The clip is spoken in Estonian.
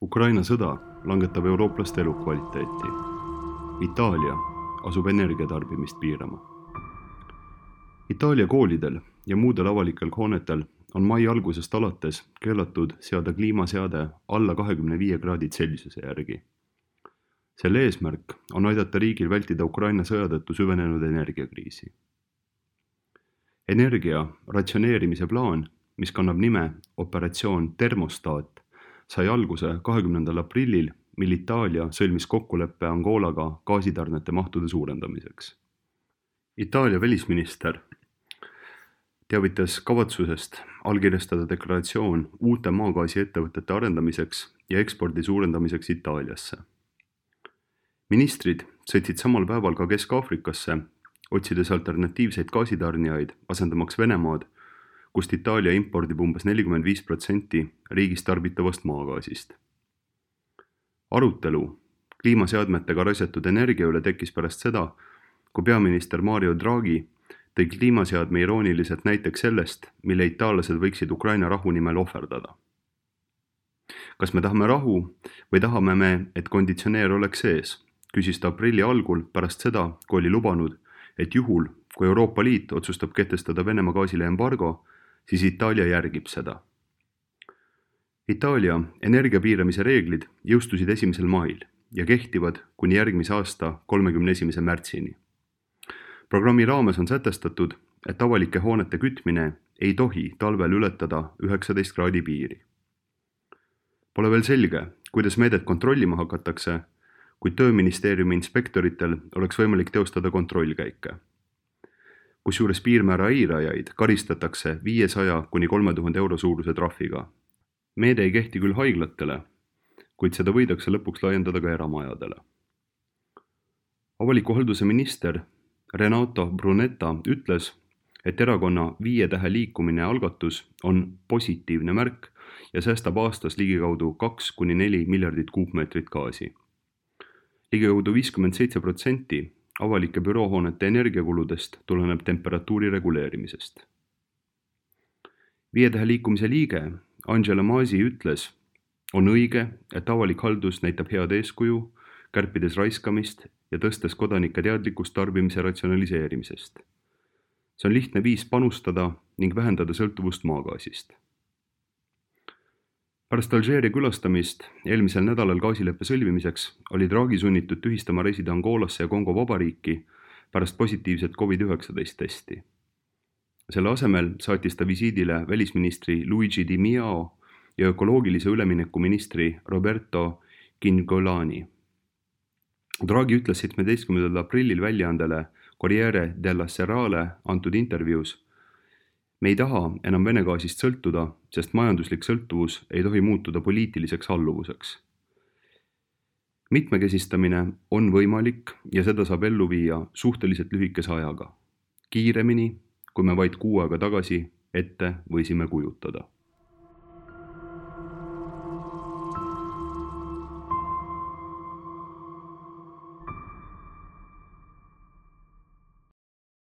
Ukraina sõda langetab eurooplaste elukvaliteeti. Itaalia asub energiatarbimist piirama. Itaalia koolidel ja muudel avalikel hoonetel on mai algusest alates keelatud seada kliimaseade alla 25 kraadi Celsiuse järgi. Selle eesmärk on aidata riigil vältida Ukraina sõja tõttu süvenenud energiakriisi. Energia ratsioneerimise plaan, mis kannab nime Operatsioon Termostaat, sai alguse 20. aprillil, mil Itaalia sõlmis kokkuleppe Angolaga gaasitarnete mahtude suurendamiseks. Itaalia välisminister teavitas kavatsusest allkirjastada deklaratsioon uute maagaasiettevõtete arendamiseks ja ekspordi suurendamiseks Itaaliasse. Ministrid sõitsid samal päeval ka Kesk-Aafrikasse, otsides alternatiivseid gaasitarnijaid asendamaks Venemaad, kust Itaalia impordib umbes 45% riigis tarbitavast maagaasist. Arutelu kliimaseadmetega raisatud energia üle tekkis pärast seda, kui peaminister Mario Draghi tõi kliimaseadme irooniliselt näiteks sellest, mille itaallased võiksid Ukraina rahu nimel ohverdada. Kas me tahame rahu või tahame me, et konditsioneer oleks sees, küsis ta aprilli algul pärast seda, kui oli lubanud, et juhul, kui Euroopa Liit otsustab kehtestada Venemaa gaasile embargo, siis Itaalia järgib seda. Itaalia energiapiiramise reeglid jõustusid 1. mail ja kehtivad kuni järgmise aasta 31. märtsini. Programmi raames on sätestatud, et avalike hoonete kütmine ei tohi talvel ületada 19 kraadi piiri. Pole veel selge, kuidas meedet kontrollima hakatakse, kuid Tööministeeriumi inspektoritel oleks võimalik teostada kontrollkäike. Kusjuures piirmäära eirajaid karistatakse 500 kuni 3000 euro suuruse trahviga. Meede ei kehti küll haiglatele, kuid seda võidakse lõpuks laiendada ka eramajadele. Avaliku halduse minister Renato Brunetta ütles, et erakonna 5 tähe liikumine algatus on positiivne märk ja säästab aastas ligikaudu 2–4 miljardit kuupmeetrit gaasi. Ligikaudu 57% avalike büroohoonete energiakuludest tuleneb temperatuuri reguleerimisest. 5 tähe liikumise liige Angela Masi ütles, on õige, et avalik haldus näitab head eeskuju, kärpides raiskamist ja tõstes kodanike teadlikkust tarbimise ratsionaliseerimisest. See on lihtne viis panustada ning vähendada sõltuvust maagaasist. Pärast Alžeeria külastamist eelmisel nädalal gaasileppe sõlmimiseks oli Draghi sunnitud tühistama reisida Angolasse ja Kongo vabariiki pärast positiivset COVID-19 testi. Selle asemel saatis ta visiidile välisministri Luigi Di Miao ja ökoloogilise ülemineku ministri Roberto Cingolani. Draghi ütles 17. aprillil väljaandele Corriere della Serale antud intervjuus, me ei taha enam Vene gaasist sõltuda, sest majanduslik sõltuvus ei tohi muutuda poliitiliseks alluvuseks. Mitmekesistamine on võimalik ja seda saab ellu viia suhteliselt lühikese ajaga. Kiiremini, kui me vaid kuu aega tagasi ette võisime kujutada.